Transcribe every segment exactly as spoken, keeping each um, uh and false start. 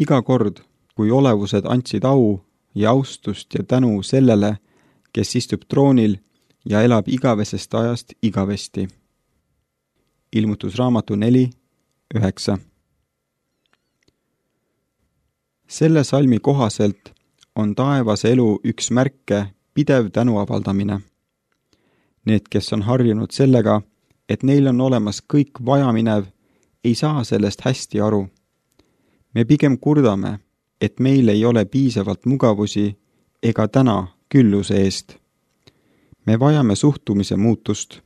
Iga kord, kui olevused andsid au ja austust ja tänu sellele, kes istub troonil ja elab igavesest ajast igavesti. Ilmutusraamatu neli, üheksa. Selle salmi kohaselt on taevas elu üks märke pidev tänu avaldamine. Need, kes on harjunud sellega, et neil on olemas kõik vajaminev, ei saa sellest hästi aru. Me pigem kurdame, et meil ei ole piisavalt mugavusi ega täna külluse eest. Me vajame suhtumise muutust.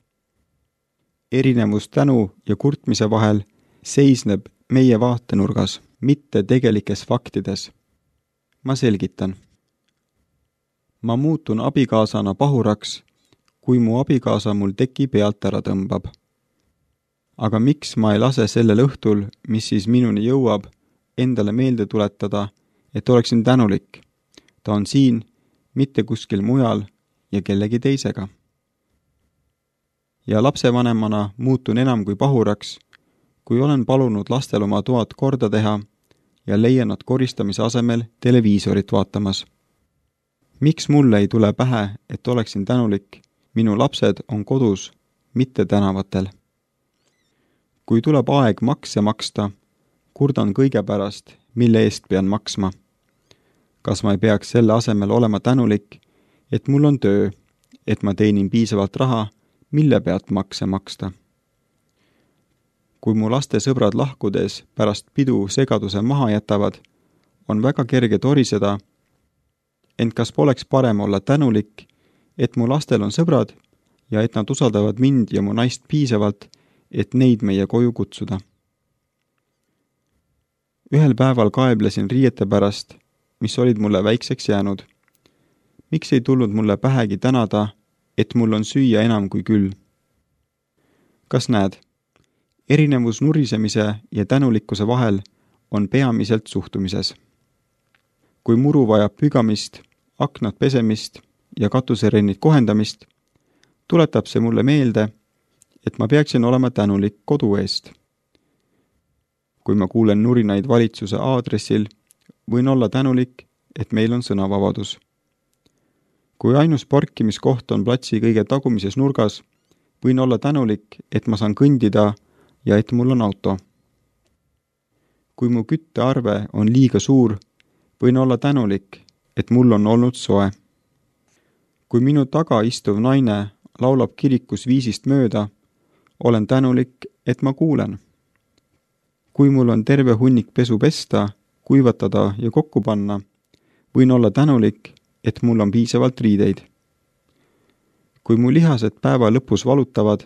Erinevus tänu ja kurtmise vahel seisneb meie vaatenurgas, mitte tegelikes faktides. Ma selgitan. Ma muutun abikaasana pahuraks, kui mu abikaasa mul teki pealt ära tõmbab. Aga miks ma ei lase sellel õhtul, mis siis minuni jõuab, endale meelde tuletada, et oleksin tänulik. Ta on siin, mitte kuskil mujal ja kellegi teisega. Ja lapsevanemana muutun enam kui pahuraks, kui olen palunud lastel oma toad korda teha ja leian nad koristamise asemel televiisorit vaatamas. Miks mulle ei tule pähe, et oleksin tänulik? Minu lapsed on kodus, mitte tänavatel. Kui tuleb aeg makse maksta, kurdan kõige pärast, mille eest pean maksma. Kas ma ei peaks selle asemel olema tänulik, et mul on töö, et ma teenin piisavalt raha, mille pealt makse maksta? Kui mu laste sõbrad lahkudes pärast pidu segaduse maha jätavad, on väga kerge toriseda, ent kas poleks parem olla tänulik, et mu lastel on sõbrad ja et nad usaldavad mind ja mu naist piisavalt, et neid meie koju kutsuda. Ühel päeval kaeblesin riiete pärast, mis olid mulle väikseks jäänud. Miks ei tulnud mulle pähegi tänada, et mul on süüa enam kui küll? Kas näed? Erinevus nurisemise ja tänulikkuse vahel on peamiselt suhtumises. Kui muru vajab pügamist, aknad pesemist ja katuserennid kohendamist, tuletab see mulle meelde, et ma peaksin olema tänulik kodu eest. Kui ma kuulen nurinaid valitsuse aadressil, võin olla tänulik, et meil on sõnavabadus. Kui ainus parkimiskoht on platsi kõige tagumises nurgas, võin olla tänulik, et ma saan kõndida ja et mul on auto. Kui mu küttearve on liiga suur, võin olla tänulik, et mul on olnud soe. Kui minu taga istuv naine laulab kirikus viisist mööda, olen tänulik, et ma kuulen. Kui mul on terve hunnik pesu pesta, kuivatada ja kokku panna, võin olla tänulik, et mul on piisavalt riideid. Kui mu lihased päeva lõpus valutavad,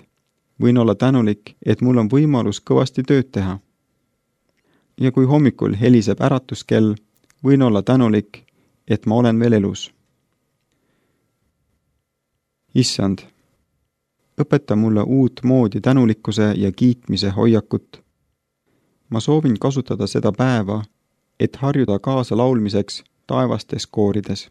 võin olla tänulik, et mul on võimalus kõvasti tööd teha. Ja kui hommikul heliseb äratuskell, võin olla tänulik, et ma olen veel elus. Issand, õpeta mulle uut moodi tänulikkuse ja kiitmise hoiakut. Ma soovin kasutada seda päeva, et harjuda kaasa laulmiseks taevastes koorides.